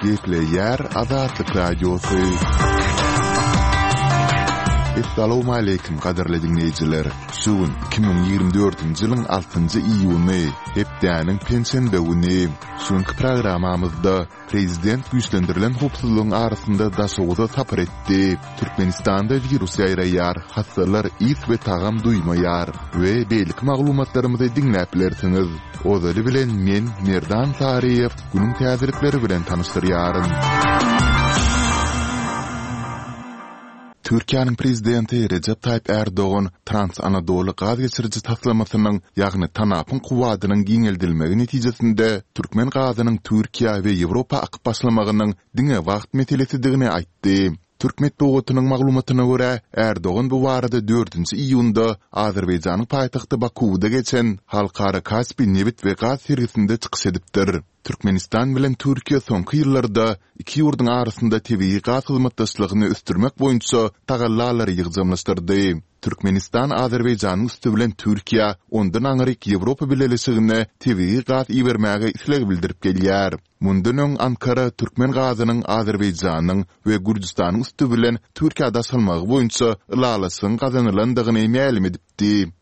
Gepleýär Azatlyk Radiosy. Essalawmaleýkim gadyrly diňleýjiler! Şu gün 2024-nji ýylyň altynjy iýuny, hepdäniň penşenbe güni. Şu günki programmamyzda Prezident güýçlendirilen howpsuzlygyň arasynda Daşoguza sapar etdi. Türkmenistanda wirus ýaýraýar, hassalar ys we tagam duýmaýar we beýleki maglumatlarymyzy diňläp bilersiňiz. Ozaly bilen men, Merdan Saryýew, günüň täzelikleri bilen tanyşdyrýaryn. Türkiýäniň Prezidenti Rejep Taýyp Ärdogan Trans-Anadoly gaz geçiriji taslamasynyň, ýagny TANAP-yň kuwwadynyň giňeldilmegi netijesinde türkmen gazynyň Türkiýä we Ýewropa akyp başlamagynyň diňe wagt meselesidigini aýtdy. Türk metbugatynyň maglumatyna görä, Ärdogan bu barada dördünji iýunda Azerbaýjanyň paýtagty Bakuwda geçen Halkara Kaspi nebit we gaz sergisinde çykyş edipdir. Türkmenistan bilen Türkiýe soňky ýyllarda iki ýurduň arasynda tebigy gaz hyzmatdaşlygyny ösdürmek boýunça tagallalary ýygjamlaşdyrdy. Türkmenistan Azerbaýjanyň üsti bilen Türkiýä, ondan aňryk Ýewropa Bileleşigine tebigy gaz ibermäge isleg bildirip gelýär. Mundan öň Ankara türkmen gazynyň Azerbaýjanyň we Gürjüstanyň üsti bilen Türkiýä daşalmagy boýunça ylalaşygyň gazanylandygyny mälim edipdi.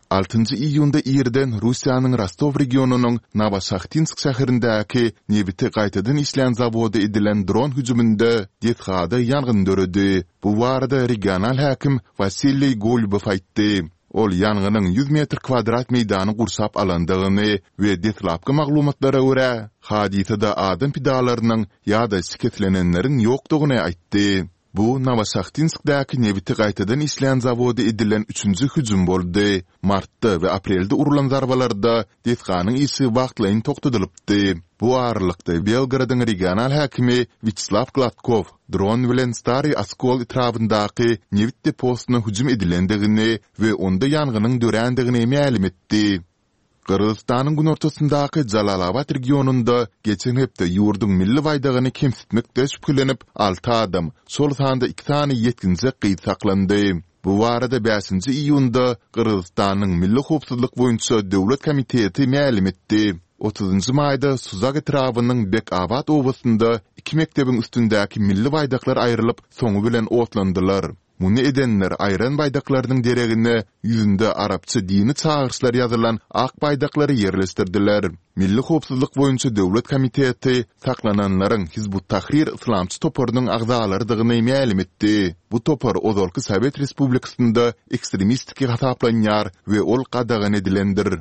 Altynjy iýunda irden Russiýanyň Rostow regionynyň Nowoşahtinsk şäherindäki nebiti gaýtadan işleýän zawoda edilen dron hüjüminde desgada ýangyn döredi. Bu barada regional häkim Wasiliý Golubow aýtdy. Ol ýangynyň 100 metr kwadrat meýdany gurşap alandygyny we deslapky maglumatlara görä, hadysada adam pidalarynyň ýa-da şikeslenenleriň ýokdugyny aýtdy. Bu Nowoşahtinskdäki nebiti gaýtadan işleýän zawoda edilen üçünji hüjüm boldy. Martda we aprelde urlan zarbalarda desganyň işi wagtlaýyn togtadylypdy. Bu aralykda, Belgorodyň regional häkimi Wýaçeslaw Gladkow dron bilen Stariý Oskol etrabyndaky nebit deposyna hüjüm edilendigini we onda ýangynyň dörändigini mälim etdi. Gyrgyzystanyň günortasyndaky Jalalabat regionynda geçen hepde ýurduň milli baýdagyny kemsitmekde şübhelenip, alty adam, şol sanda iki sany ýetginjek gyz saklandy. Bu barada bäşinji iýunda Gyrgyzystanyň Milli howpsuzlyk boýunça döwlet komiteti mälim etdi. Otuzynjy maýda Suzak etrabynyň Bek-Abat obasynda iki mekdebiň üstündäki milli baýdaklar aýrylyp, soňy bilen otlandylar. Muny edenler aýran baýdaklarynyň deregine ýüzünde arapça dini çagyryşlar ýazylan ak baýdaklary ýerleşdirdiler. Milli howpsuzlyk boýunça döwlet komiteti saklananlaryň Hizb-ut-Tahrir yslamçy toparynyň agzalarydygyny mälim etdi. Bu topar ozalky sowet respublikasynda ekstremistiki hasaplanýar we ol gadagan edilendir.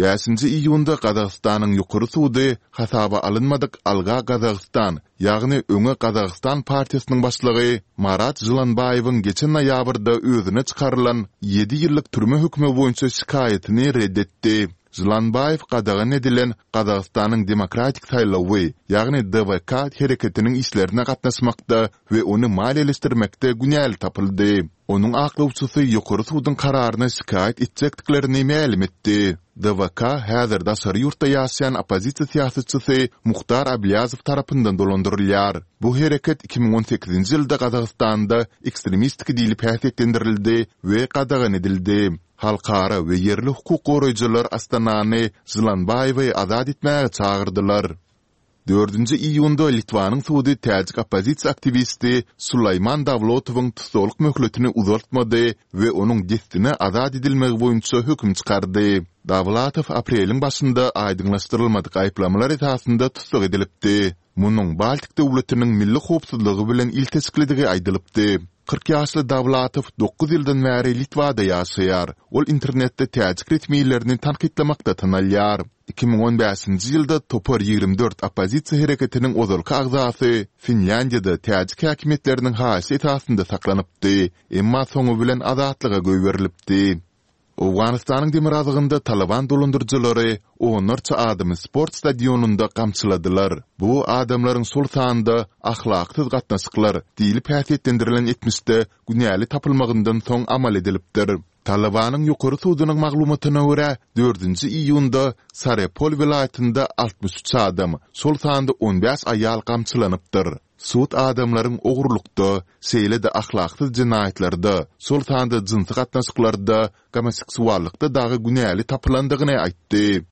Bäşinji iýunda Gazagystanyň Ýokary sudy hasaba alynmadyk Alga Gazagystan, ýagny Öňe Gazagystan partiýasynyň başlygy Marat Žylanbaýewiň geçen noýabrda özüne çykarylan ýedi ýyllyk türme hökümi boýunça şikaýatyny ret etdi. Žylanbaýew gadagan edilen Gazagystanyň Demokratik saýlawy, ýagny DWK hereketiniň işlerine gatnaşmakda we ony maliýeleşdirmekde günäli tapyldy. Onuň aklawçysy Ýokary suduň kararyna şikaýat etjekdiklerini mälim etdi. DWK häzir daşary ýurtda ýaşaýan oppozisiýa syýasatçysy Muhtar Ablýazow tarapyndan dolandyrylýar. Bu hereket 2018-nji ýylda Gazagystanda ekstremistik diýlip häsiýetlendirildi we gadagan edildi. Halkara we ýerli hukuk goraýjylar Astanany Žylanbaýewi azat etmäge çagyrdylar. Dördünji iýunda Litwanyň sudy täjik oppozisiýa aktiwisti Sulaýman Dawlotowyň tussaglyk möhletini uzaltmady we onuň dessine azat edilmegi boýunça höküm çykardy. Dawlatow apreliň başynda aýdyňlaşdyrylmadyk aýyplamalar esasynda tussag edilipdi. Munuň Baltik döwletiniň milli howpsuzlygy bilen ilteşiklidigi aýdylypdy. 40 ýaşly Dawlatow dokuz ýyldan bäri Litwada ýaşaýar. Ol internetde täjik resmilerini tankytlamakda tanalýar. 2015-nji ýylda Topar 24 oppozisiýa hereketiniň ozalky agzasy Finlýandiýada täjik häkimiýetleriniň haýyşy esasynda saklanypdy, emma soňy bilen azatlyga goýberilipdi. Owganystanyň demirgazygynda Talyban dolandyryjylary onlarça adamy sport stadionynda gamçyladylar. Bu adamlaryň şol sanda ahlaksyz gatnaşyklar diýlip häsiýetlendirilen etmişde günäli tapylmagyndan soň amal edilipdir. Talybanyň ýokary sudunyň maglumatyna görä, dördünji iýunda Sarepol welaýatynda 63 adam, şol sanda on bäş aýal gamçylanypdyr. Sud adamlaryň ogurlykda, şeýle-de ahlaksyz jenaýatlarda, şol sanda jynsy gatnaşyklarda, gomoseksuallykda dagy günäli tapylandygyny aýtdy.